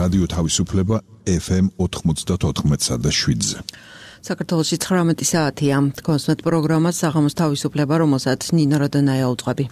რადიო თავისუფლება FM 94.7-ზე. საქართველოში 19 საათია. კონსვენტ პროგრამა საღამოს თავისუფლება, რომელსაც ნინო როდონაია უძღვები.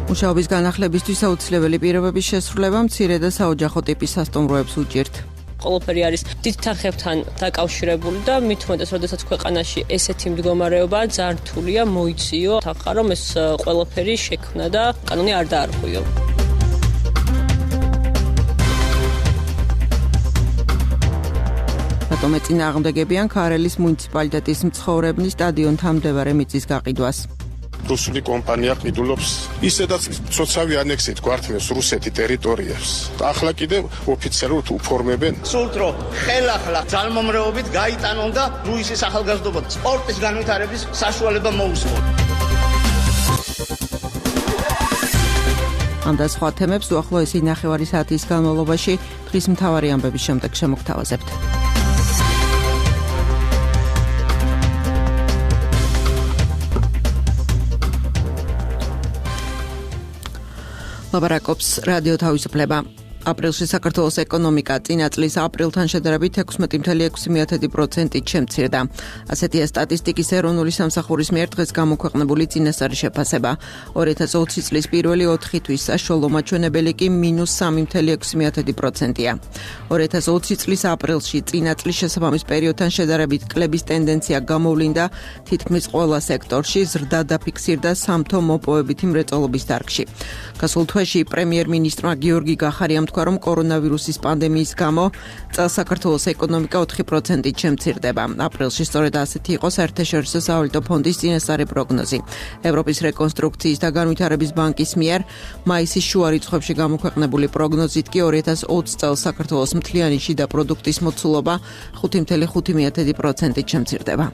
მუშაობის განახლებისთვის აუცილებელი პირობების შესრულება მცირე და საოჯახო ტიპის სასტუმროებს უჭირთ. ყველაფერი არის დიდ თანხებთან დაკავშირებული და მით უმეტეს, როდესაც ქვეყანაში ესეთი მდგომარეობა ძალიან რთულია მოიციო თანხა, რომ ეს ყველაფერი შექმნა და კანონი არ დაარღვიო. რატომ ეწინააღმდეგებიან ქარელის მუნიციპალიტეტის მცხოვრებლის სტადიონთან მდებარე მიწის გაყიდვას? რუსული კომპანია ყიდულობს ისედაც ცოცავი ანექსით გვართმევს რუსეთი ტერიტორიებს. ახლა კიდევ ოფიციალურად უფორმებენ. სულთ რომ ხელახლა ძალმომრეობით გაიტანონ და რუსის ახალგაზრდობა სპორტის განვითარების საშუალება მოუსმოთ. ამ და სხვა თემებს უახლოესი ნახევარი საათის განმავლობაში დღის მთავარი ამბების შემდეგ შემოგთავაზებთ. ლაბარაკობს რადიო თავისუფლება. აპრილში საქართველოს ეკონომიკა წინა წლის აპრილთან შედარებით 16.6%-ით შემცირდა. ასეთია სტატისტიკის ეროვნული სამსახურის მიერ დღეს გამოქვეყნებული წინასწარი შეფასება. 2020 წლის პირველი 4 თვის საშუალო მაჩვენებელი კი -3.6%-ია. 2020 წლის აპრილში წინა წლის შესაბამის პერიოდთან შედარებით კლების ტენდენცია გამოვლინდა თითქმის ყველა სექტორში, ზრდა დაფიქსირდა სამთო მოპოვებითი მრეწველობის დარგში. გასულ თვეში პრემიერ-მინისტრმა გიორგი გახარიამ თქვა, რომ კორონავირუსის პანდემიის გამო წელს საქართველოს ეკონომიკა 4%-ით შემცირდება. აპრილში სწორედ ასეთი იყო საერთაშორისო სავალუტო ფონდის წინასწარი პროგნოზი. ევროპის რეკონსტრუქციის და განვითარების ბანკის მიერ მაისის შუა რიცხვებში გამოქვეყნებული პროგნოზით კი 2020 წელს საქართველოს მთლიანი შიდა პროდუქტის მოცულობა 5.5%-ით შემცირდება.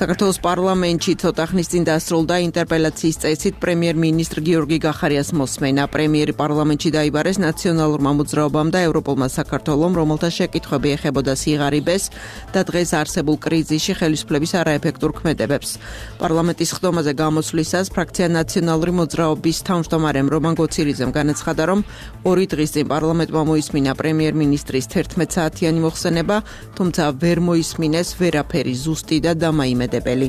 საქართველოს პარლამენტში ცოტა ხნის წინ დასრულდა ინტერპელაციის წესით პრემიერ-მინისტრ გიორგი გახარიას მოსმენა. პრემიერი პარლამენტში დაიბარეს ნაციონალურმა მოძრაობამ და ევროპულმა საქართველომ, რომელთა შეკითხვები ეხებოდა სიღარიბეს და დღეს არსებულ კრიზისში ხელისუფლების არაეფექტურ ქმედებებს. პარლამენტის ხდომაზე გამოსვლისას ფრაქცია ნაციონალური მოძრაობის თავმჯდომარემ რომან გოცირიძემ განაცხადა, რომ 2 დღის წინ პარლამენტმა მოისმინა პრემიერ-მინისტრის 11 საათიანი მოხსენება, თუმცა ვერ მოისმინეს ვერაფერი ზუსტი და დამაიმედებელი.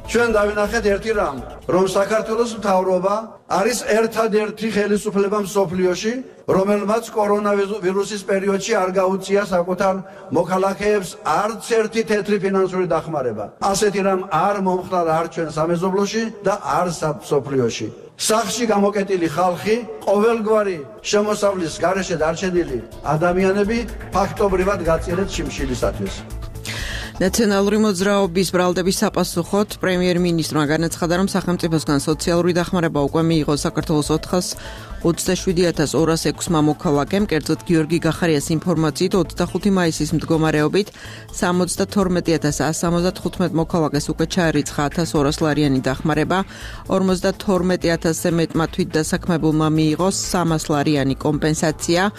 ჩვენ დავინახეთ ერთი რამ, რომ საქართველოს მთავრობა არის ერთადერთი ხელისუფლება მსოფლიოში, რომელმაც კორონავირუსის პერიოდში არ გაუწია საკუთარ მოქალაქეებს არც ერთი თეთრი ფინანსური დახმარება. ასეთი რამ არ მომხდარა არ ჩვენ სამეზობლოში და არ მსოფლიოში. სახში გამოკეტილი ხალხი, ყოველგვარი შემოსავლის გარეშე დარჩენილი ადამიანები ფაქტობრივად გაწირეთ შიმშილისათვის. ნაციონალური მოძრაობის ბრალდების საპასუხოდ პრემიერ-მინისტრმა განაცხადა, რომ სახელმწიფოსგან სოციალური დახმარება უკვე მიიღო საქართველოს 427.206 მოქალაქემ, კერძოდ გიორგი გახარიას ინფორმაციით 25 მაისის მდგომარეობით 72.175 მოქალაქეს უკვე ჩაერიცხა 1,200 ლარიანი დახმარება, 52.000-ზე მეტმა თვითდასაქმებულმა მიიღო 300 ლარიანი კომპენსაცია.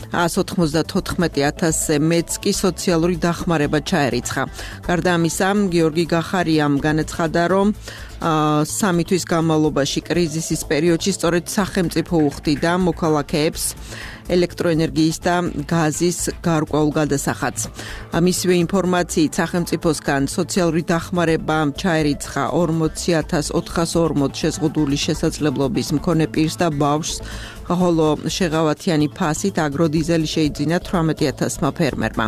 194.000-ზე მეც კი სოციალური დახმარება ჩაერიცხა. გარდა ამისა, გიორგი გახარიამ განაცხადა, რომ 3 თვის განმავლობაში კრიზისის პერიოდში სწორედ სახელმწიფო უხდიდა მოქალაქეებს ელექტროენერგიის და გაზის გარკვეულ გადასახადს. მისივე ინფორმაციით სახელმწიფოსგან სოციალური დახმარება ჩაერიცხა 40.440 შეზღუდული შესაძლებლობის მქონე პირს და ბავშვს, ხოლო შეღავათიანი ფასით აგროდიზელი შეიძინა 18.000 ფერმერმა.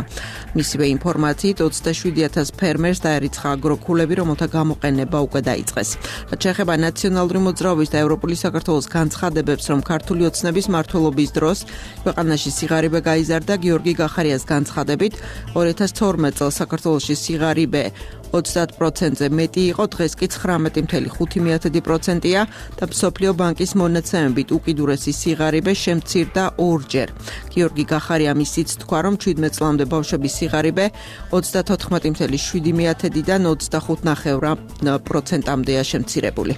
მისივე ინფორმაციით 27.000 ფერმერს დაერიცხა აგროკულები, რომელთა გამოყენება უკვე დაიწყეს. რაც შეეხება ნაციონალური მოძრაობის და ევროპული საქართველოს განცხადებებს, რომ ქართული ოცნების მმართველობის დროს ქვეყანაში სიღარიბე გაიზარდა, გიორგი გახარიას განცხადებით 2012 წელს საქართველოში სიღარიბე 30%-ზე მეტი იყო, დღეს კი 19.5%-ია და მსოფლიო ბანკის მონაცემებით უკიდურესი სიღარიბე შემცირდა 2-ჯერ. გიორგი გახარიამ ისიც თქვა, რომ 17 წლამდე ბავშვების სიღარიბე 34.7%-დან 25.9%-მდეა შემცირებული.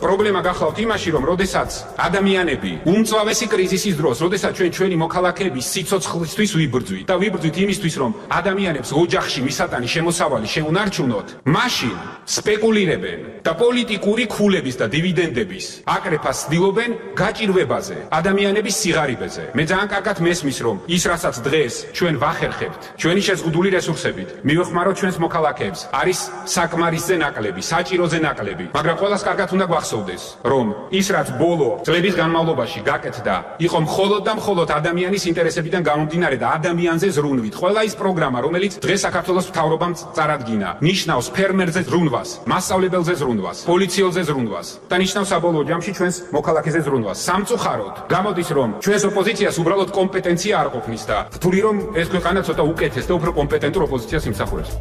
პრობლემა გახლავთ იმაში, რომ როდესაც ადამიანები უმწვავესი კრიზისის დროს, როდესაც ჩვენი მოქალაქეების სიცოცხლისთვის ვიბრძვით და ვიბრძვით იმისთვის, რომ ადამიანებს ოჯახში მისატანი შემოსავალი შეუნარჩუნოთ, მაშინ სპეკულირებენ და პოლიტიკური ქულების და დივიდენდების აკრეფას ცდილობენ გაჭირვებაზე, ადამიანების სიღარიბეზე. მე ძალიან კარგად მესმის, რომ ის, რასაც დღეს ჩვენ ვახერხებთ, ჩვენი შეზღუდული რესურსებით, მივეხმაროთ ჩვენს მოქალაქეებს, არის საკმარისზე ნაკლები, საჭიროზე ნაკლები, მაგრამ ყველას კარგად უნდა გვახსოვდეს, რომ ის, რაც ბოლო წლების განმავლობაში გაკეთდა, იყო მხოლოდ და მხოლოდ ადამიანის ინტერესებიდან გამომდინარე და ადამიანზე ზრუნვით. ყველა ის პროგრამა, რომელიც დღეს საქართველოს მთავრობამ წარადგინა, ნიშნავს ფერმერზე ზრუნვას, მასწავლებელზე ზრუნვას, პოლიციელზე ზრუნვას და ნიშნავს საბოლოო ჯამში ჩვენს მოქალაქეზე ზრუნვას. სამწუხაროდ, გამოდის, რომ ჩვენს ოპოზიციას უბრალოდ კომპეტენცია არ ყოფნის და რთული რომ ეს ქვეყანა ცოტა უკეთეს და უფრო კომპეტენტურ ოპოზიციას იმსახურებს.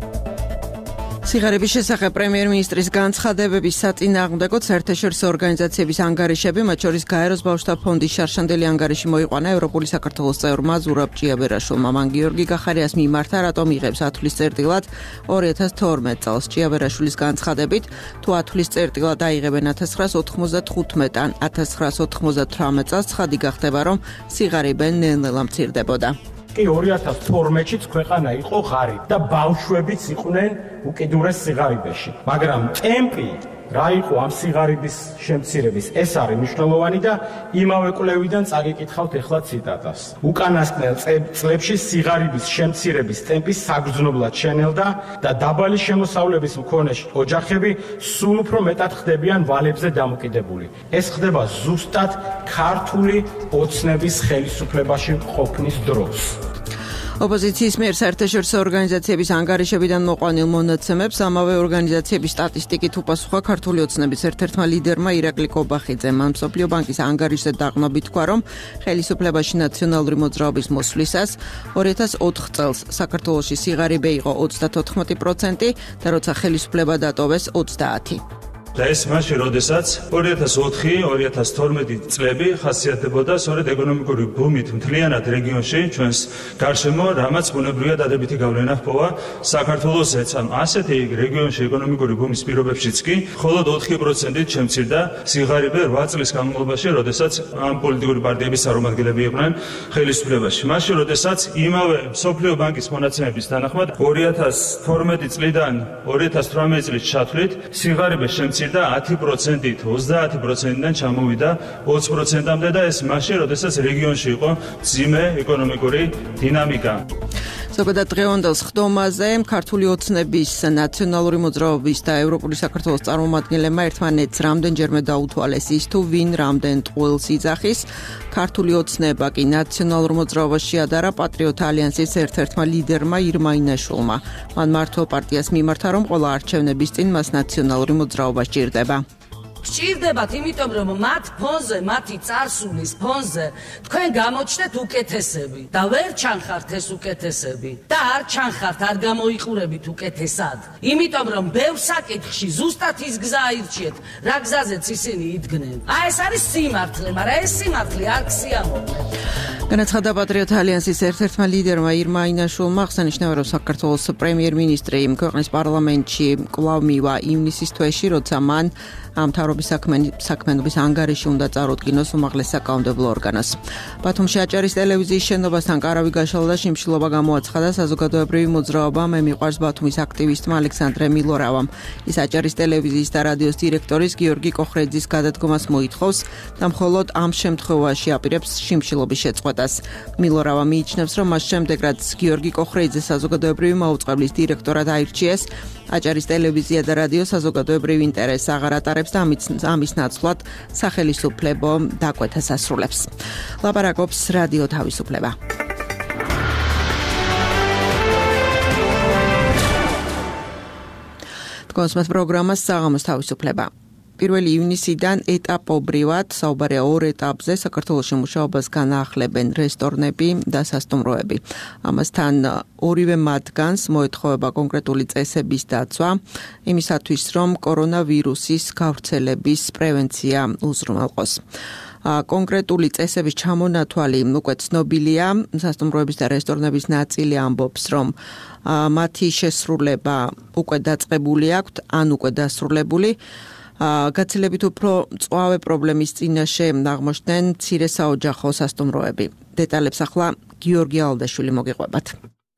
სიღარიბის შესახებ პრემიერ-მინისტრის განცხადებების საწინააღმდეგოდ საერთაშორისო ორგანიზაციების ანგარიშები, მათ შორის გაეროს ბავშვთა ფონდის შარშანდელი ანგარიში მოიყვანა ევროპული საქართველოს წევრმა ზურაბ ჭიაბერაშვილმა. მან გიორგი გახარიას მიმართა, რატომ იღებს ათვლის წერტილად 2012 წელს. ჭიაბერაშვილის განცხადებით, თუ ათვლის წერტილად აიღებენ 1995-ან 1998 წელს, ცხადი გახდება, რომ სიღარიბე ნელ-ნელა მცირდებოდა. კი 2012-ში ქვეყანა იყო ღარიბ და ბავშვებიც იყვნენ უკიდურეს სიღარიბეში. მაგრამ ტემპი რა იყო ამ სიღარიბის შემცირების, ეს არის მნიშვნელოვანი და იმავე კვლევიდან წაგიკითხავთ ახლა ციტატას. უკანასკნელ წლებში სიღარიბის შემცირების ტემპი საგრძნობლად შენელდა და დაბალი შემოსავლების მქონე ოჯახები სულ უფრო მეტად ხდებიან ვალებზე დამოკიდებული. ეს ხდება ზუსტად ქართული ოცნების ხელისუფლებაში ყოფნის დროს. ოპოზიციის მიერ საერთაშორისო ორგანიზაციების ანგარიშებიდან მოყვანილ მონაცემებს ამავე ორგანიზაციების სტატისტიკით უპასუხა ქართული ოცნების ერთ-ერთმა ლიდერმა ირაკლი კობახიძემ. მან მსოფლიო ბანკის ანგარიშზე დაყრდნობით თქვა, რომ ხელისუფლებაში ნაციონალური მოძრაობის მოსვლისას 2004 წელს საქართველოში სიღარიბე იყო 34% და როცა ხელისუფლება დატოვეს 30%. და ეს მაშინ, როდესაც 2004-2012 წლები ხასიათდებოდა სწორედ ეკონომიკური ბუმით მთლიანად რეგიონში, ჩვენს გარშემო, რამაც ბუნებრივია დადებითი გავლენა ჰპოვა საქართველოსაც. ასეთი რეგიონში ეკონომიკური ბუმის პირობებშიც კი მხოლოდ 4%-ით შემცირდა სიღარიბე 8 წლის განმავლობაში, როდესაც ამ პოლიტიკური პარტიების წარმომადგენლები იყვნენ ხელისუფლებაში. მაშინ, როდესაც იმავე მსოფლიო ბანკის მონაცემების თანახმად 2012 წლიდან 2018 წლის ჩათვლით სიღარიბე შემცირდა 10%-ით, 30%-დან ჩამოვიდა 20%-მდე და ეს მაშინ, როდესაც რეგიონში იყო მძიმე ეკონომიკური დინამიკა. ზოგადად დღევანდელ სხდომაზე ქართული ოცნების, ნაციონალური მოძრაობის და ევროპული საქართველოს წარმომადგენლებმა ერთმანეთს რამდენჯერმე დაუთვალეს ის, თუ ვინ რამდენ ტყუილს იძახის. ქართული ოცნება კი ნაციონალურ მოძრაობას შეადარა პატრიოტ ალიანსის ერთ-ერთმა ლიდერმა ირმა ინაშვილმა. მან მართლ პარტიას მიმართა, რომ ყველა არჩევნების წინ მას ნაციონალური მოძრაობა სჭირდება. სჭირდებათ, იმიტომ რომ მათ ფონზე, მათი წარსულის ფონზე თქვენ გამოჩნდეთ უკეთესები და ვერ ჩანხართ ეს უკეთესები და არ ჩანხართ, არ გამოიყურებით უკეთესად. იმიტომ რომ ბევრ საკითხში ზუსტად ის გზა აირჩიეთ, რა გზაზეც ისინი იდგნენ. ეს არის სიმართლე, მაგრამ ეს სიმართლე არ ქსიამოვნებთ. განაცხადა პატრიოტ ალიანსის ერთ-ერთმა ლიდერმა ირმა ინაშვილმა, აღსანიშნავია, რომ საქართველოს პრემიერ-მინისტრი ქვეყნის პარლამენტში კვლავ მივა ივნისის თვეში, როცა მან მთავრობის საქმიანობის ანგარიში უნდა წარუდგინოს უმაღლეს საკანონმდებლო ორგანოს. ბათუმში აჭარის ტელევიზიის შენობასთან კარავი გაშალა და შიმშილობა გამოაცხადა საზოგადოებრივი მოძრაობა მე მიყვარს ბათუმის აქტივისტმა ალექსანდრე მილორავამ. ის აჭარის ტელევიზიის და რადიოს დირექტორის გიორგი კოხრეძის გადადგომას მოითხოვს და მხოლოდ ამ შემთხვევაში აპირებს შიმშილობის შეწყვეტას. მილორავა მიიჩნევს, რომ მას შემდეგ, რაც გიორგი კოხრეძე საზოგადოებრივი მაუწყებლის დირექტორად აირჩიეს, აჭარის ტელევიზია და რადიო საზოგადოებრივ ინტერესს აღარ ატარებს და ამის ნაცვლად სახელისუფლებო დაკვეთას ასრულებს. ლაპარაკობს რადიო თავისუფლება. თქვენს პროგრამას საღამოს თავისუფლება. 1 ივნისიდან ეტაპობრივად, საუბარია 2 ეტაპზე, საქართველოში მუშაობას განაახლებენ რესტორნები და სასტუმროები. ამასთან ორივე მათგანს მოეთხოვება კონკრეტული წესების დაცვა, იმისათვის, რომ კორონავირუსის გავრცელების პრევენცია უზრუნველყოს. კონკრეტული წესების ჩამონათვალი უკვე ცნობილია, სასტუმროების და რესტორნების ნაწილი ამბობს, რომ მათი შესრულება უკვე დაწყებული აქვთ, ან უკვე დასრულებული. გაცილებით უფრო მწვავე პრობლემის წინაშე აღმოჩნდნენ მცირე საოჯახო სასტუმროები. დეტალებს ახლა გიორგი ალდაშვილი მოგიყვებათ.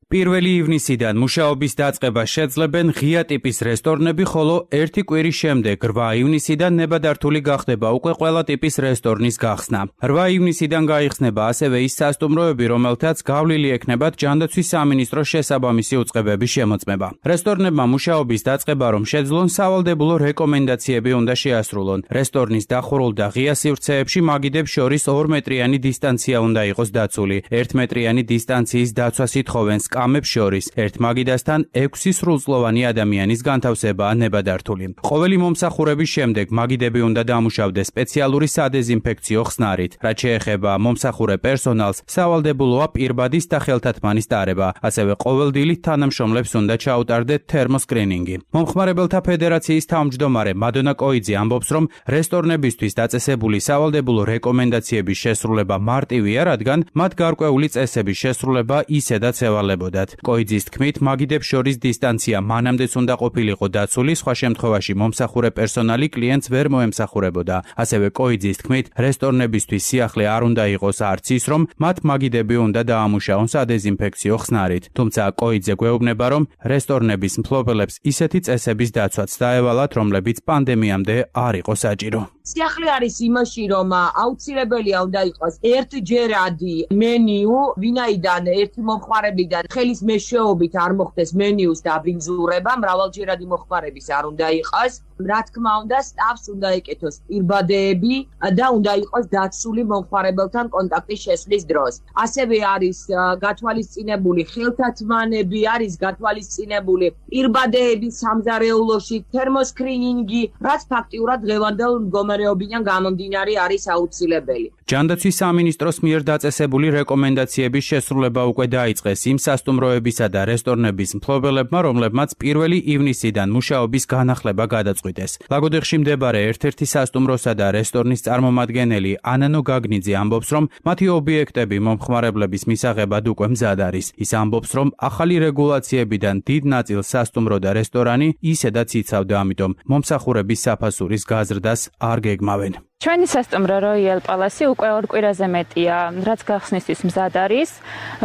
1 ივნისიდან მუშაობის დაწყებას შეძლებენ ღია ტიპის რესტორნები, ხოლო 1 კვირის შემდეგ 8 ივნისიდან ნებადართული გახდება უკვე ყველა ტიპის რესტორნის გახსნა. 8 ივნისიდან გაიხსნება ასევე ის სასტუმროები, რომელთაც გავლილი ექნებათ ჯანდაცვის სამინისტროს შესაბამისი უწყებების შემოწმება. რესტორნებმა მუშაობის დაწყება რომ შეძლონ, სავალდებულო რეკომენდაციები უნდა შეასრულონ. რესტორნის დახურულ და ღია სივრცეებში მაგიდებს შორის 2 მეტრიანი დისტანცია უნდა იყოს დაცული. 1 მეტრიანი დისტანციის დაცვას ითხოვენ კამებს შორის 1 მაგიდასთან 6 სრულწლოვანი ადამიანის განთავსებაა ნებადართული. ყოველი მომსახურების შემდეგ მაგიდები უნდა დამუშავდეს სპეციალური სადეზინფექციო ხსნარით. რაც შეეხება მომსახურე პერსონალს, სავალდებულოა პირბადის და ხელთათმანის დარება, ასევე ყოველდილით თანამშრომლებს უნდა ჩაუტარდეთ თერმოსკრინინგი. მომხმარებელთა ფედერაციის თავმჯდომარე მადონა კოიძე ამბობს, რომ რესტორნებისთვის დაწესებული სავალდებულო რეკომენდაციების შესრულება მარტივია, რადგან მათ გარკვეული წესების შესრულება ისედაც ევალებოდათ. კოიძის თქმით, მაგიდებს შორის დისტანცია მანამდეც უნდა ყოფილიყო დაცული, სხვა შემთხვევაში მომსახურე პერსონალი კლიენტს ვერ მოემსახურებოდა. ასევე კოიძის თქმით, რესტორნებისთვის სიახლე არ უნდა იყოს არც ის, რომ მათ მაგიდები უნდა დაამუშაონ სადეზინფექციო ხსნარით. თუმცა კოიძე გვეუბნება, რომ რესტორნების მფლობელებს ისეთი წესების დაცვაც დაევალათ, რომლებიც პანდემიამდე არ იყო საჭირო. სიახლე არის იმაში, რომ აუცილებელია უნდა იყოს ერთჯერადი მენიუ, ვინაიდან ერთი მომხმარებლიდან ხელის მეშვეობით არ მოხდეს მენიუს დაბინძურება, მრავალჯერადი მოხმარების არ უნდა იყოს. რა თქმა უნდა, სტაფს უნდა ეკეთოს პირბადეები და უნდა იყოს დაცული მომხმარებელთან კონტაქტის შესვლის დროს. ასევე არის გათვალისწინებული ხელთათმანები, არის გათვალისწინებული პირბადეები სამზარეულოში, თერმოსკრინინგი, რაც ფაქტიურად დღევანდელ მდგომარეობიდან გამომდინარე არის აუცილებელი. ჯანდაცვის სამინისტროს მიერ დაწესებული რეკომენდაციების შესრულება უკვე დაიწყეს იმ სასტუმროებისა და რესტორნების მფლობელებმა, რომლებმაც 1 ივნისიდან მუშაობის განახლება გადაწყვიტეს. ლაგოდეხში მდებარე ერთ-ერთი სასტუმროსა და რესტორნის წარმომადგენელი ანანო გაგნიძე ამბობს, რომ მათი ობიექტები მომხმარებლების მისაღებად უკვე მზად არის. ის ამბობს, რომ ახალი რეგულაციებიდან დიდ ნაწილს სასტუმრო და რესტორანი ისედაც იცავდა, ამიტომ მომსახურების საფასურის გაზრდას არ გეგმავენ. ჩვენი სასტუმრო როიალ პალასი უკვე 2 კვირაზე მეტია, რაც გახსნისთვის მზად არის.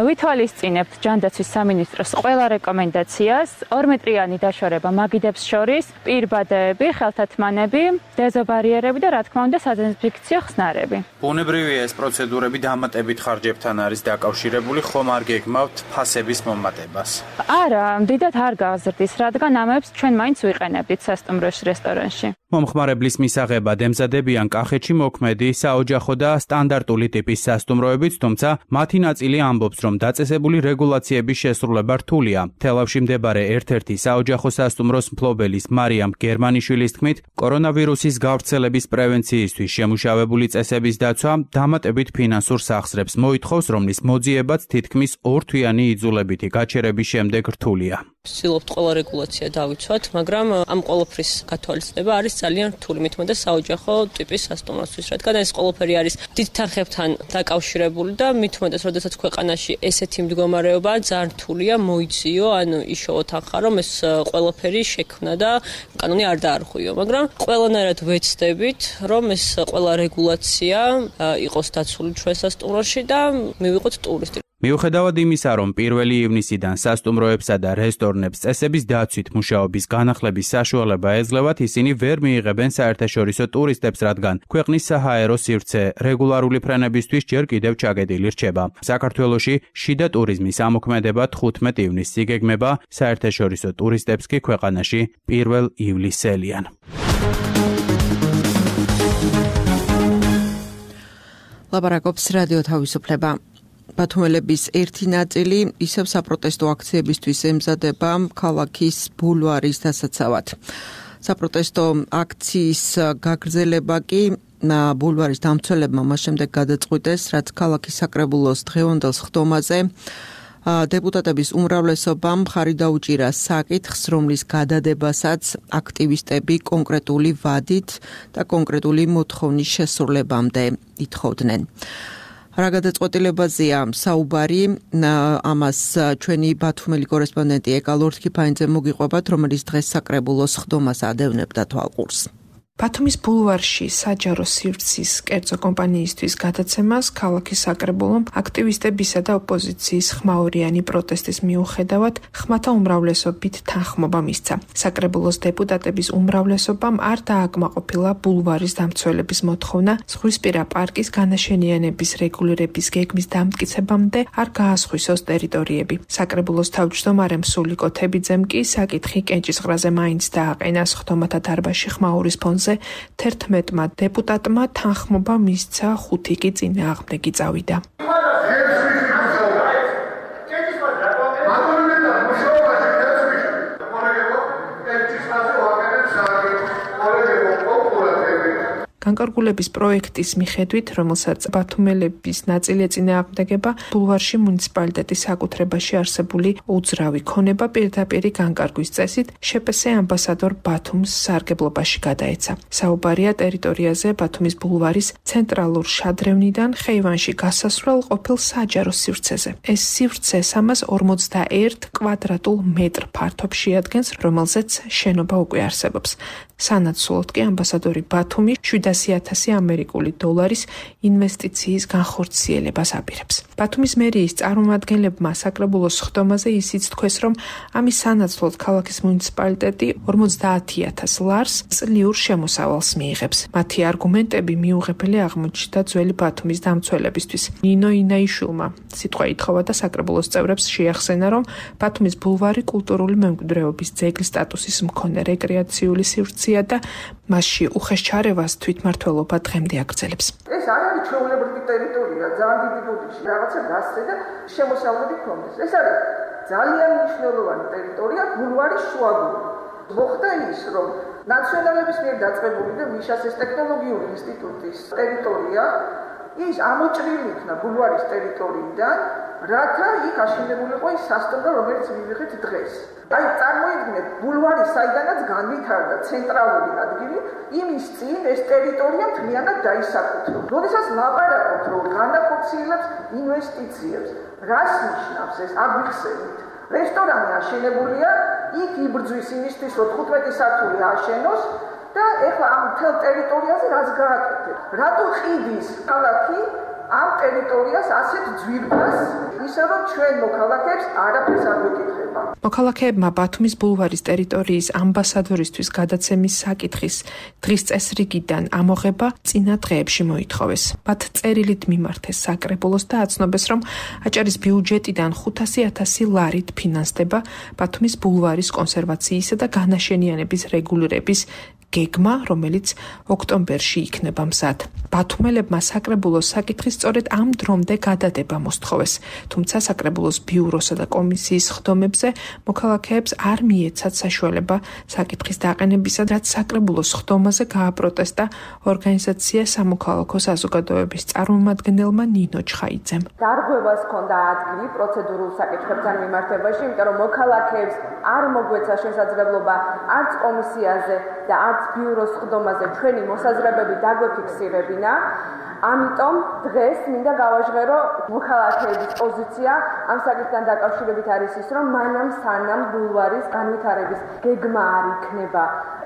ვითვალისწინებთ ჯანდაცვის სამინისტროს ყველა რეკომენდაციას, 2 მეტრიანი დაშორება მაგიდებს შორის, პირბადეები, ხელთათმანები, დეზობარიერები და რა თქმა უნდა სადეზინფექციო ხსნარები. ბუნებრივია ეს პროცედურები დამატებით ხარჯებთან არის დაკავშირებული, ხომ არ გეგმავთ ფასების მომატებას? არა, დიდად არ გაზრდის, რადგან ამებს ჩვენ მაინც ვიყენებდით სასტუმროში, რესტორანში. მომხმარებლის მისაღებად ემზადებიან კახეთში მოქმედი საოჯახო და სტანდარტული ტიპის სასტუმროებიც, თუმცა მათი ნაწილი ამბობს, რომ დაწესებული რეგულაციების შესრულება რთულია. თელავში მდებარე ერთ-ერთი საოჯახო სასტუმროს მფლობელის მარიამ გერმანიშვილის თქმით, კორონავირუსის გავრცელების პრევენციისთვის შემუშავებული წესების დაცვა დამატებით ფინანსურ სახსრებს მოითხოვს, რომლის მოძიებაც თითქმის 2 თვიანი იძულებითი გაჩერების შემდეგ რთულია. ვცდილობთ ყველა რეგულაცია დავიცვათ, მაგრამ ამ ყველაფრის გათვალისწინება არის ძალიან რთული, მithmeდა საოჯახო ტიპის სასტუმროსთვის, რადგან ეს ყველაფერი არის დიდ თანხებთან დაკავშირებული და მithmedas, როდესაც ქვეყანაში ესეთი მდგომარეობაა, ძალიან რთულია მოიციო, ანუ იშოვო თანხა, რომ ეს ყველაფერი შექმნა და კანონი არ დაარღვიო, მაგრამ ყველანაირად ვეცდებით, რომ ეს ყველა რეგულაცია იყოს დაცული ჩვენ სასტუმროში და მივიღოთ ტურისტი. მიუხედავად იმისა, რომ 1 ივნისიდან სასტუმროებსა და რესტორნებს წესების დაცვით მუშაობის განახლების საშუალება ეძლევათ, ისინი ვერ მიიღებენ საერთაშორისო ტურისტებს, რადგან ქვეყნის საჰაერო სივრცე რეგულარული ფრენებისთვის ჯერ კიდევ ჩაგედილი რჩება. საქართველოში შიდა ტურიზმის ამოქმედება 15 ივნისს იგეგმება, საერთაშორისო ტურისტებს კი ქვეყანაში 1 ივლისელიან. ლაპარაკობს რადიო თავისუფლება. ბათუმელების ერთი ნაწილი ისევ საპროტესტო აქციებისთვის ემზადება ქალაქის ბულვარის დასაცავად. საპროტესტო აქციის გაგრძელება კი ბულვარის დამცველებმა მას შემდეგ გადაწყვიტეს, რაც ქალაქის საკრებულოს დღევანდელ სხდომაზე დეპუტატების უმრავლესობამ მხარი დაუჭირა საკითხს, რომლის გადადებასაც აქტივისტები კონკრეტული ვადით და კონკრეტული მოთხოვნის შესრულებამდე ითხოვდნენ. რა გადაწყვეტილებაზეა საუბარი, ამას ჩვენი ბათუმელი კორესპონდენტი ეკა ლორთქიფაინძე მოგიყვებათ, რომელიც დღეს საკრებულოს სხდომას ადევნებდა თვალყურს. ბათუმის ბულვარში საჯარო სივრცის კერძო კომპანიისთვის გადაცემას ქალაქის საკრებულომ აქტივისტებისა და ოპოზიციის ხმაურიანი პროტესტის მიუხედავად ხმათა უმრავლესობით თანხმობა მისცა. საკრებულოს დეპუტატების უმრავლესობამ არ დააკმაყოფილა ბულვარის დამცველების მოთხოვნა ზღვისპირა პარკის განაშენიანების რეგულირების გეგმის დამტკიცებამდე არ გაასხვისოს ტერიტორიები. საკრებულოს თავმჯდომარემ სულიკო თებიძემ კი საკითხი კენჭისყრაზე მაინც დააყენა სხდომათა დარბაზში ხმაურის ფონზე 11 დეპუტატმა თანხმობა მისცა, 5 კი წინააღმდეგი წავიდა. განკარგულების პროექტის მიხედვით, რომელსაც ბათუმელების ნაწილი ეწინააღმდეგება, ბულვარში მუნიციპალიტეტის საკუთრებაში არსებული უძრავი ქონება პირდაპირ განკარგვის წესით შპს ამბასადორ ბათუმს სარგებლობაში გადაეცა. საუბარია ტერიტორიაზე ბათუმის ბულვარის ცენტრალურ შადრევნიდან ხეივანში გასასვლელ ყოფილ საჯარო სივრცეზე. ეს სივრცე 341 კვადრატულ მეტრ ფართობს შეადგენს, რომელზეც შენობა უკვე არსებობს. სანაცვლოდ კი ამბასადორი ბათუმი 700,000 ამერიკული დოლარის ინვესტიციის განხორციელებას აპირებს. ბათუმის მერიის წარმომადგენლებმა საკრებულოს სხდომაზე ისიც თქვეს, რომ ამის სანაცვლოდ ქალაქის მუნიციპალიტეტი 50,000 ლარს წლიურ შემოსავალს მიიღებს. მათი არგუმენტები მიუღებელი აღმოჩნდა ძველი ბათუმის დამცველებისთვის. ნინო ინაიშვილმა სიტყვა ითხოვა და საკრებულოს წევრებს შეახსენა, რომ ბათუმის ბულვარი კულტურული მემკვიდრეობის ძეგლის სტატუსის მქონე რეკრეაციული სივრცეა და მასში უხეშ ჩარევას თვითმმართველობა დღემდე აგრძელებს. ეს არ არის ჩვეულებრივი ტერიტორია, ძალიან დიდი ბუდიში, რაღაცა გასცე და შემოსავლები ქონდეს. ეს არის ძალიან მნიშვნელოვანი ტერიტორია ბულვარის შუაგულში. მოხდა ის, რომ ნაციონალების მიერ დაწყებული და მიშას ეს ტექნოლოგიური ინსტიტუტის ტერიტორია ის ამოჭრილი იქნა ბულვარის ტერიტორიიდან, რათა იქ აშენებულიყო ის სასტუმრო, რომელიც მივიღეთ დღეს. აი, წარმოიდგინეთ, ბულვარი საიდანაც განვითარდა ცენტრალური ადგილი, იმის წინ ეს ტერიტორია მთლიანად დაისაკუთრა. როდესაც ლაპარაკობთ, რომ განახორციელებს ინვესტიციებს, რას ნიშნავს ეს? აგვიხსენით. რესტორანი აშენებულია, იქ იბრძვის იმისთვის, რომ 15 სართული აშენოს და ეხლა ამ მთელ ტერიტორიაზე რაც გააკეთეთ? რატო ყიდის ქალაქი ამ ტერიტორიას ასეთ ძვირფას, ისე რომ ჩვენ მოქალაქეებს არაფერს არ გვეკითხება. მოქალაქეებმა ბათუმის ბულვარის ტერიტორიის ამბასადორისთვის გადაცემის საკითხის დღის წესრიგიდან ამოღება წინა დღეებში მოითხოვეს. მათ წერილით მიმართეს საკრებულოს და აცნობეს, რომ აჭარის ბიუჯეტიდან 500,000 ლარით ფინანსდება ბათუმის ბულვარის კონსერვაციისა და განაშენიანების რეგულირების გეგმა, რომელიც ოქტომბერში იქნება მზად. ბათუმელებმა საკრებულოს საკითხის სწორედ ამ დრომდე გადადება მოსთხოვეს, თუმცა საკრებულოს ბიუროსა და კომისიის სხდომებზე მოქალაქეებს არ მიეცათ საშუალება საკითხის დაყენებისა, რაც საკრებულოს სხდომაზე გააპროტესტა ორგანიზაცია სამოქალაქო საზოგადოების წარმომადგენელმა ნინო ჩხაიძემ. დარღვევას ჰქონდა ადგილი პროცედურულ საკითხებთან მიმართებაში, იმიტომ რომ მოქალაქეებს არ მოგვეცა შესაძლებლობა არც კომისიაზე და არც ბიუროს სხდომაზე ჩვენი მოსაზრებები დაგვეფიქსირებინა. ამიტომ დღეს მინდა გავაჟღერო მოქალაქეების პოზიცია ამ საკითხთან დაკავშირებით არის ის, რომ მანამ სანამ ბულვარის განვითარების გეგმა არ იქნება.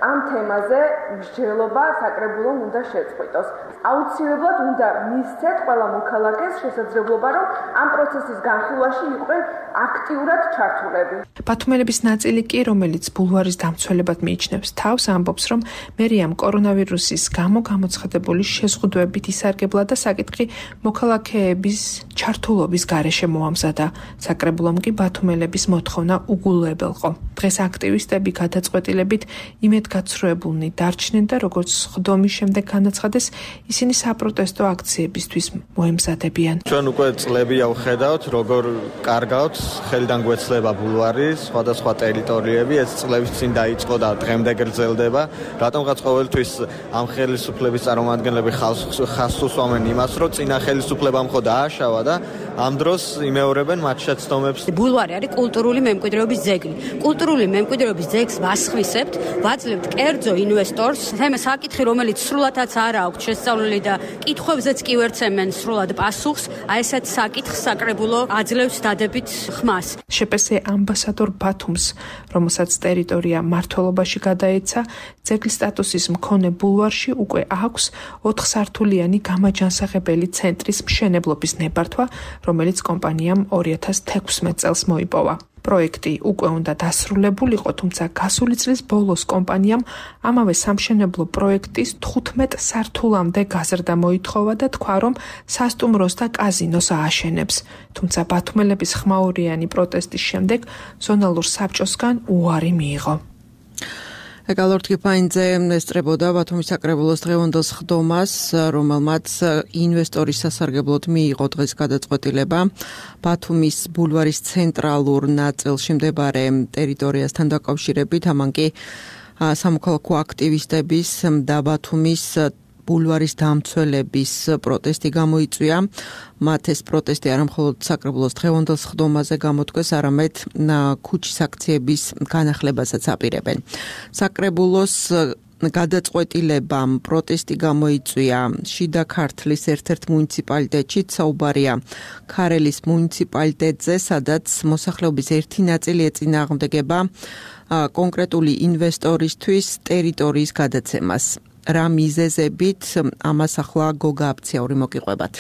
ამ თემაზე მსჯელობა საკრებულომ უნდა შეწყვიტოს. აუცილებლად უნდა მისცეთ ყველა მოქალაქეს შესაძლებლობა, რომ ამ პროცესის განხილვაში იყვნენ აქტიურად ჩართულები. ბათუმელების ნაწილი კი, რომელიც ბულვარის დამცველებად მიიჩნევს თავს, ამბობს, რომ მერიამ კორონავირუსის გამო გამოცხადებული შეზღუდვებით ისარგებლა და საკითხი მოქალაქეების ჩართულობის გარეშე მოამზადა. საკრებულომ კი ბათუმელების მოთხოვნა უგულებელყო. დღეს აქტივისტები გადაწყვეტილებით იმედგაცრუებულნი დარჩნენ და როგორც სხდომის შემდეგ განაცხადეს, ისინი საპროტესტო აქციებისთვის მოემზადებიან. ჩვენ უკვე წლებია ვხედავთ, როგორ კარგავთ ხელიდან გვეცლება ბულვარის სხვადასხვა ტერიტორიები, ეს წლების წინ დაიწყო და დღემდე გრძელდება. რატომღაც ყოველთვის ამ ხელისუფლების წარმომადგენლები ხაზს უსვამენ იმას, რომ წინა ხელისუფლებამ ხო დააშავა და ამ დროს იმეორებენ მათ შეცდომებს. ბულვარი არის კულტურული მემკვიდრეობის ძეგლი. კულტურული მემკვიდრეობის ძეგლს ვასხვისებთ, ვაძლევთ კერძო ინვესტორს, საკითხი, რომელიც სრულადაც არ აქვს შესწავლილი და კითხვებზეც კი ვერცემენ სრულად პასუხს, აი ესეთ საკითხს საკრებულო აძლევს დადებით ხმას. შპს ამბასადორ ბათუმს, რომელსაც ტერიტორია მმართველობაში გადაეცა, ძეგლის სტატუსის მქონე ბულვარში უკვე აქვს 4 სართულიანი გამაჯანსაღებელი ცენტრის მშენებლობის ნებართვა, რომელიც კომპანიამ 2016 წელს მოიპოვა. პროექტი უკვე უნდა დასრულებულიყო, თუმცა გასული წლის ბოლოს კომპანიამ ამავე სამშენებლო პროექტის 15 სართულამდე გაზრდა მოითხოვა და თქვა, რომ სასტუმროს და კაზინოს ააშენებს. თუმცა ბათუმელების ხმაურიანი პროტესტის შემდეგ ზონალურ საბჭოსგან უარი მიიღო. ეკალორდ კიფაინძე ესწრებოდა ბათუმის საკრებულოს დღევანდელ სხდომას, რომელმაც ინვესტორის სასარგებლოდ მიიღო დღეს გადაწყვეტილება ბათუმის ბულვარის ცენტრალურ ნაწილში მდებარე ტერიტორიასთან დაკავშირებით, ამან კი სამოქალაქო აქტივისტების და ბათუმის ბულვარის დამცველების პროტესტი გამოიწვია. მათ ეს პროტესტი არა მხოლოდ საკრებულოს დღევანდელ სხდომაზე გამოთქვეს, არამედ ქუჩის აქციების განახლებასაც აპირებენ. საკრებულოს გადაწყვეტილებამ პროტესტი გამოიწვია შიდა ქართლის ერთ-ერთ მუნიციპალიტეტში, საუბარია ქარელის მუნიციპალიტეტზე, სადაც მოსახლეობის ერთი ნაწილი ეწინააღმდეგება კონკრეტული ინვესტორისთვის ტერიტორიის გადაცემას. რა მიზეზებით ამას ახლა გოგა აფციაური მოგიყვებათ.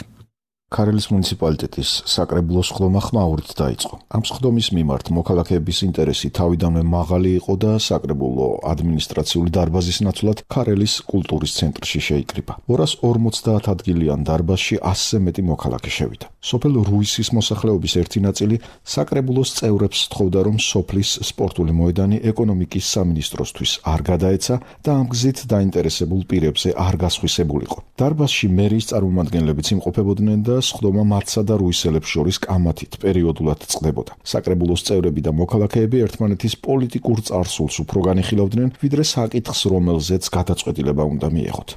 ქარელის მუნიციპალიტეტის საკრებულოს სხდომა ხმაურით დაიწყო. ამ სხდომის მიმართ მოქალაქეების ინტერესი თავიდანვე მაღალი იყო და საკრებულო ადმინისტრაციული დარბაზის ნაცვლად ქარელის კულტურის ცენტრში შეიკრიბა. 250 ადგილიან დარბაზში 100-ზე მეტი მოქალაქე შევიდა. სოფელ რუისის მოსახლეობის ერთი ნაწილი საკრებულოს წევრებს სთხოვდა, რომ სოფლის სპორტული მოედანი ეკონომიკის სამინისტროსთვის არ გადაეცა და ამ გზით დაინტერესებულ პირებზე არ გასხვისებულიყო. დარბაზში მერიის წარმომადგენლებიც იმყოფებოდნენ და სხდომა მათსა და რუისელებს შორის კამათით პერიოდულად წყდებოდა. საკრებულოს წევრები და მოქალაქეები ერთმანეთის პოლიტიკურ წარსულს უფრო განიხილავდნენ, ვიდრე საკითხს, რომელზეც გადაწყვეტილება უნდა მიეღოთ.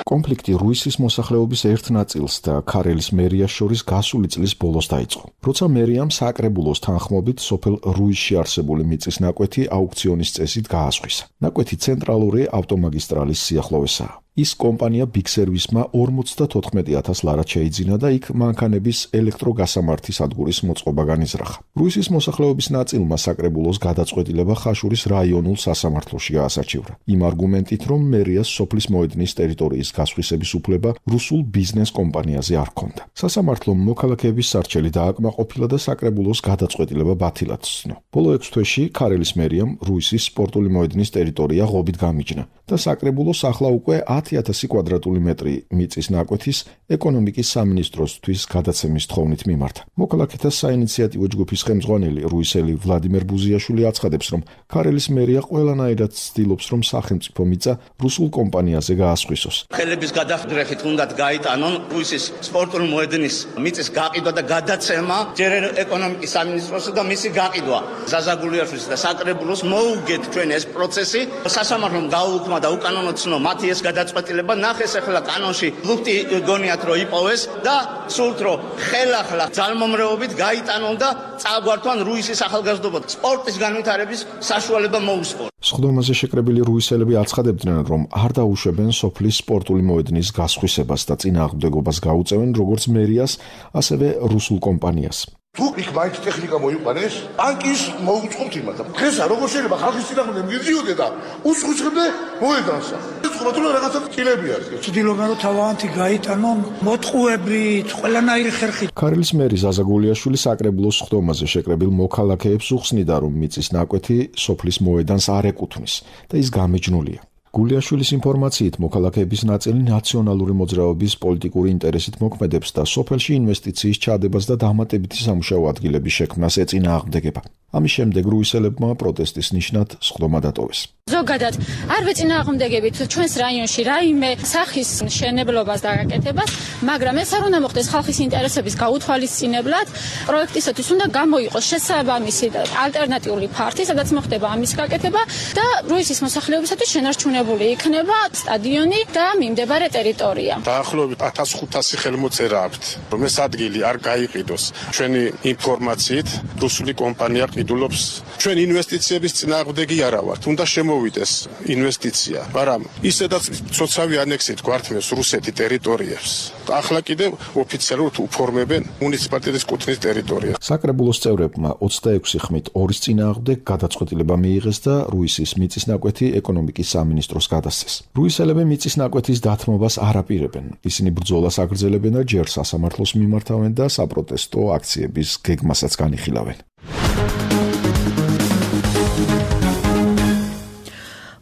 კონფლიქტი რუისის მოსახლეობის ერთ ნაწილს და ქარელის მერიას შორის გასული წლის ბოლოს დაიწყო. როცა მერიამ საკრებულოს თანხმობით სოფელ რუისში არსებული მიწის ნაკვეთი აუქციონის წესით გაასხვისა. ნაკვეთი ცენტრალური ავტომაგისტრალის სიახლოვესაა. ის კომპანია Big Service-მა 54,000 ლარად შეიძინა და იქ მანქანების ელექტროგასამართი სადგურის მოწყობა განიზრახა. რუისის მოსახლეობის ნაწილმა საკრებულოს გადაწყვეტილება ხაშურის რაიონულ სასამართლოში გაასარჩივრა. იმ არგუმენტით, რომ მერიას სოფლის მოედნის ტერიტორიის გასხვისების უფლება რუსულ ბიზნეს კომპანიაზე არ ჰქონდა. სასამართლომ მოქალაქეების სარჩელი დააკმაყოფილა და საკრებულოს გადაწყვეტილება ბათილად ცნო. ბოლო 6 თვეში ქარელის მერიამ რუისის სპორტული მოედნის ტერიტორია ღობით გამიჯნა და საკრებულოს ახლა უკვე 10,000 კვადრატული მეტრი მიწის ნაკვეთის ეკონომიკის სამინისტროსთვის გადაცემის თხოვნით მიმართა. მოქალაქეთა საინიციატივო ჯგუფის ხელმძღვანელი რუისელი ვლადიმერ ბუზიაშვილი აცხადებს, რომ ქარელის მერია ყველანაირად ცდილობს, რომ სახელმწიფო მიწა რუსულ კომპანიაზე გაასხვისოს. ხელების გადახრეხით უნდათ გაიტანონ რუისის სპორტული მოედნის მიწის გაყიდვა და გადაცემა ჯერ ეკონომიკის სამინისტროსა და მისი გაყიდვა. ზაზაგულიაშვილის და საკრებულოს მოუგეთ ჩვენ ეს პროცესი. სასამართლომ გაუუქმა და უკანონო ცნო მათი ეს გადაწყვეტილება. ნახეს ახლა კანონში ლუფტი გონიათ რომ იპოვეს და სულთ რომ ხელახლა ძალმომრეობით გაიტანონ და წაგვართვან რუისის ახალგაზრდობა სპორტის განვითარების საშუალება მოუსწორ. სხდომაზე შეკრებილი რუისელები აცხადებდნენ, რომ არ დაუშვებენ სოფლის სპორტული მოედნის გასხვისებას და წინააღმდეგობას გაუწევენ როგორც მერიას, ასევე რუსულ კომპანიას. თუ იქ მაინც ტექნიკა მოიყვანეს, ბანკის მოუწყობთ იმათ. დღესა როგორ შეიძლება ხალხის წინააღმდეგ მიდიოდე და უსხუჩხებდე მოედანსა. ეხლა თუ რაღაცა წილები არის. ცდილობენ რომ თავიანთი გაიტანონ მოტყუებით, ყველანაირი ხერხით. ქარელის მერი ზაზაგულიაშვილი საკრებულოს სხდომაზე შეკრებილ მოქალაქეებს უხსნიდა, რომ მიწის ნაკვეთი სოფლის მოედანს არ ეკუთვნის და ის გამეჯნულია. გულიაშვილის ინფორმაციით მოქალაქეების ნაწილი ნაციონალური მოძრაობის პოლიტიკური ინტერესით მოქმედებს და სოფელში ინვესტიციის ჩადებას და დამატებითი სამუშაო ადგილების შექმნას ეწინააღმდეგება. ამის შემდეგ რუისელებმა პროტესტის ნიშნად სხდომა დატოვეს. ზოგადად არ ვეწინააღმდეგებით ჩვენს რაიონში რაიმე სახის მშენებლობას და გაკეთებას, მაგრამ ეს არ უნდა მოხდეს ხალხის ინტერესების გაუთვალისწინებლად. პროექტისათვის უნდა გამოიყოს შესაბამისი ალტერნატიული ფართი, სადაც მოხდება ამის გაკეთება და რუისის მოსახლეობისათვის შენარჩუნებული იქნება სტადიონი და მიმდებარე ტერიტორია. დაახლოებით 1500 ხელმოწერა აქვთ, რომ ეს ადგილი არ გაიყიდოს. ჩვენი ინფორმაციით, რუსული კომპანია ყიდულობს. ჩვენ ინვესტიციების წინააღმდეგი არა ვართ. უნდა მოვიდეს ინვესტიცია, მაგრამ ისედაც ცოცავი ანექსით გვართმევს რუსეთი ტერიტორიებს. ახლა კიდევ ოფიციალურად უფორმებენ მუნიციპალიტეტის კუთნის ტერიტორიას. საკრებულოს წევრებმა 26 ხმით 2-ის წინააღმდეგ გადაწყვეტილება მიიღეს და რუისის მიწისნაკვეთი ეკონომიკის სამინისტროს გადასცეს. რუისელები მიწისნაკვეთის დათმობას არ აპირებენ. ისინი ბრძოლას აგრძელებენ და ჯერ სასამართლოს მიმართავენ და საპროტესტო აქციების გეგმასაც განიხილავენ.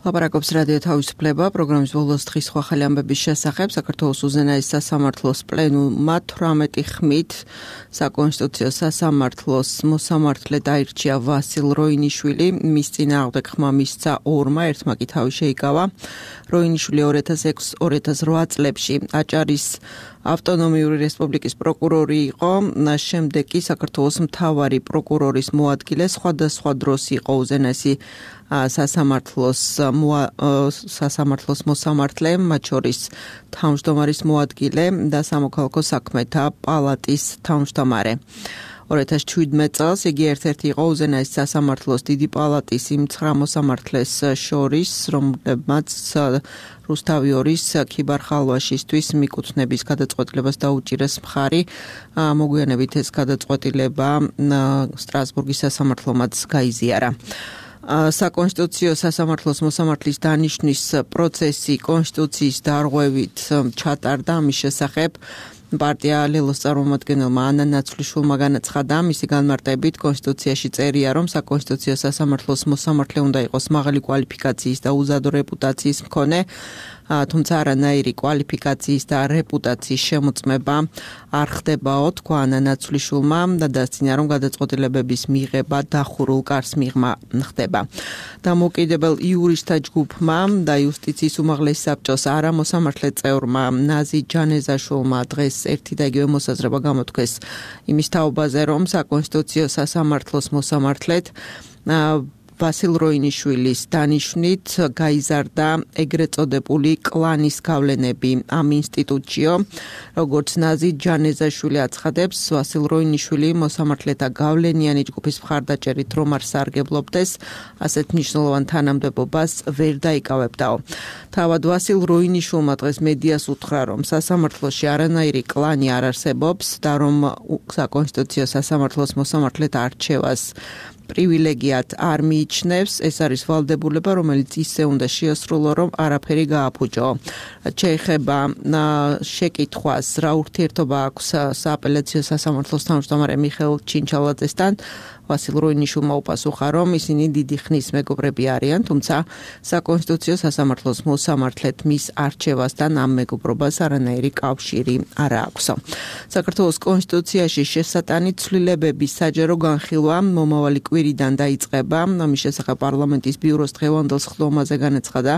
ლაპარაკობს რადიო თავისუფლება პროგრამის ბოლოს დღის სხვა ხელი ამბების შესახებ. საქართველოს უზენაეს სასამართლოს პლენუმმა 18 ხმით საკონსტიტუციო სასამართლოს მოსამართლე დაირჩია ვასილ როინიშვილი. მის წინააღმდეგ ხმა მისცა 2-მა, ერთმა კი თავი შეიკავა. როინიშვილი 2006-2008 წლებში აჭარის ავტონომიური რესპუბლიკის პროკურორი იყო, შემდეგ კი საქართველოს მთავარი პროკურორის მოადგილე, სხვადასხვა დროს იყო უზენაესი სასამართლოს მოსამართლე, მათ შორის თავმჯდომარის მოადგილე და სამოქალაქო საქმეთა პალატის თავმჯდომარე. 2017 წელს იგი ერთ-ერთი იყო უზენაეს სასამართლოს დიდი პალატის იმ 9 მოსამართლეს შორის, რომლებმაც რუსთავი 2-ის ქიბარ-ხალვაშისთვის მიკუთვნების გადაწყვეტილებას დაუჭირეს მხარი. მოგვიანებით ეს გადაწყვეტილება სტრასბურგის სასამართლომაც გაიზიარა. საკონსტიტუციო სასამართლოს მოსამართლის დანიშვნის პროცესი კონსტიტუციის დარღვევით ჩატარდა. ამის შესახებ პარტია ლელოს წარმომადგენელმა ანა ნაცვლიშვილმა განაცხადა, მისი განმარტებით კონსტიტუციაში წერია, რომ საკონსტიტუციო სასამართლოს მოსამართლე უნდა იყოს მაღალი კვალიფიკაციის და უზადო რეპუტაციის მქონე, თუმცა არანაირი კვალიფიკაციის და რეპუტაციის შემოწმება არ ხდებაო, თქვა ანა ნაცვლიშვილმა და დასძინა, რომ გადაწყვეტილებების მიღება დახურულ კარს მიღმა ხდება. დამოუკიდებელ იურისტთა ჯგუფმა და იუსტიციის უმაღლესი საბჭოს არა მოსამართლე წევრმა ნაზი ჯანეზაშვილმა დღეს ერთი და იგივე მოსაზრება გამოთქვეს იმის თაობაზე, რომ საკონსტიტუციო სასამართლოს მოსამართლედ ვასილ როინიშვილის დანიშვნით გაიზარდა ეგრეთ წოდებული კლანის გავლენები ამ ინსტიტუტშიო. როგორც ნაზი ჯანეზაშვილი აცხადებს, ვასილ როინიშვილი მოსამართლეთა გავლენიანი ჯგუფის მხარდაჭერით რომ არ სარგებლობდეს, ასეთ მნიშვნელოვან თანამდებობას ვერ დაიკავებდაო. თავად ვასილ როინიშვილმა დღეს მედიას უთხრა, რომ სასამართლოში არანაირი კლანი არ არსებობს და რომ საკონსტიტუციო სასამართლოს მოსამართლეთა არჩევას პრივილეგიად არ მიიჩნევს, ეს არის ვალდებულება, რომელიც ისე უნდა შეასრულო, რომ არაფერი გააფუჭო. შეეხება შეკითხვას, რა ურთიერთობა აქვს სააპელაციო სასამართლოს თავმჯდომარე მიხეილ ჩინჩალაძესთან, ვასილ როინიშვილმა უპასუხა, რომ ისინი დიდი ხნის მეგობრები არიან, თუმცა საკონსტიტუციო სასამართლოს მოსამართლედ მის არჩევასთან ამ მეგობრობას არანაირი კავშირი არ აქვს. საქართველოს კონსტიტუციაში შესატანი ცვლილებების საჯარო განხილვა მომავალი კვირიდან დაიწყება. ამის შესახებ პარლამენტის ბიუროს დღევანდელ სხდომაზე განაცხადა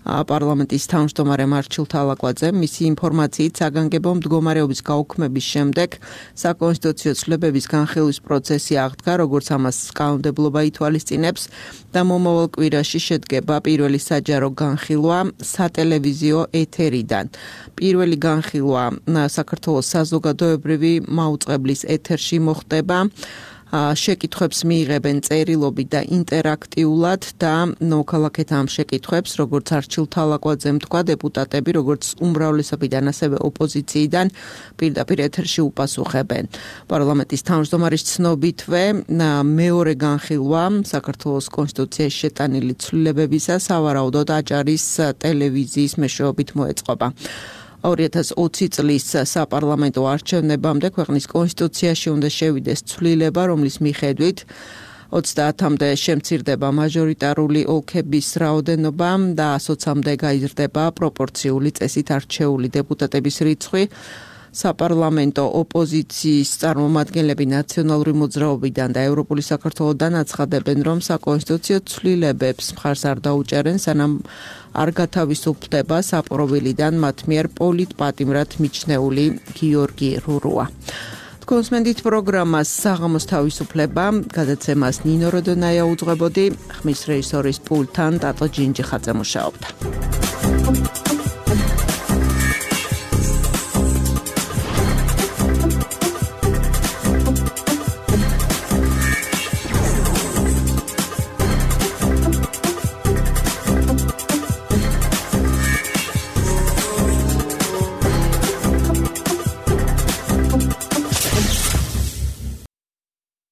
პარლამენტის თავმჯდომარე მარჩილ თალაკვაძე. მისი ინფორმაციით საგანგებო მდგომარეობის გაუქმების შემდეგ საკონსტიტუციო ცვლილებების განხილვის პროცესი აღდგა, როგორც ამას კანონმდებლობა ითვალისწინებს და მომავალ კვირაში შედგება პირველი საჯარო განხილვა სატელევიზიო ეთერიდან. პირველი განხილვა საქართველოს საზოგადოებრივი მაუწყებლის ეთერში მოხდება. შეკითხვებს მიიღებენ წერილობით და ინტერაქტიულად და მოქალაქეთა ამ შეკითხვებს, როგორც არჩილ თალაკვაძემ თქვა, დეპუტატები, როგორც უმრავლესობიდან, ასევე ოპოზიციიდან პირდაპირ ეთერში უპასუხებენ. პარლამენტის თავმჯდომარის ცნობითვე მეორე განხილვა საქართველოს კონსტიტუციაში შეტანილი ცვლილებებისა სავარაუდოდ აჭარის ტელევიზიის მეშვეობით მოეწყობა. 2020 წლის საპარლამენტო არჩევნებამდე ქვეყნის კონსტიტუციაში უნდა შევიდეს ცვლილება, რომლის მიხედვით 30-მდე შემცირდება მაჟორიტარული ოლქების რაოდენობა და 100-მდე გაიზრდება პროპორციული წესით არჩეული დეპუტატების რიცხვი. საპარლამენტო ოპოზიციის წარმომადგენლები ნაციონალური მოძრაობიდან და ევროპული საქართველოდან აცხადებენ, რომ საკონსტიტუციო ცვლილებებს მხარს არ დაუჭერენ, სანამ არ გათავისუფლდება საპროვილიდან მათ მიერ პოლიტპატიმრად მიჩნეული გიორგი რურუა. კონსმენდით პროგრამას საღამოს თავისუფლება, გადაცემას ნინო როდონაია უძღვებოდი, ხმის რეჟისორის პულტთან ტატო ჯინჯიხაძე მუშაობდა.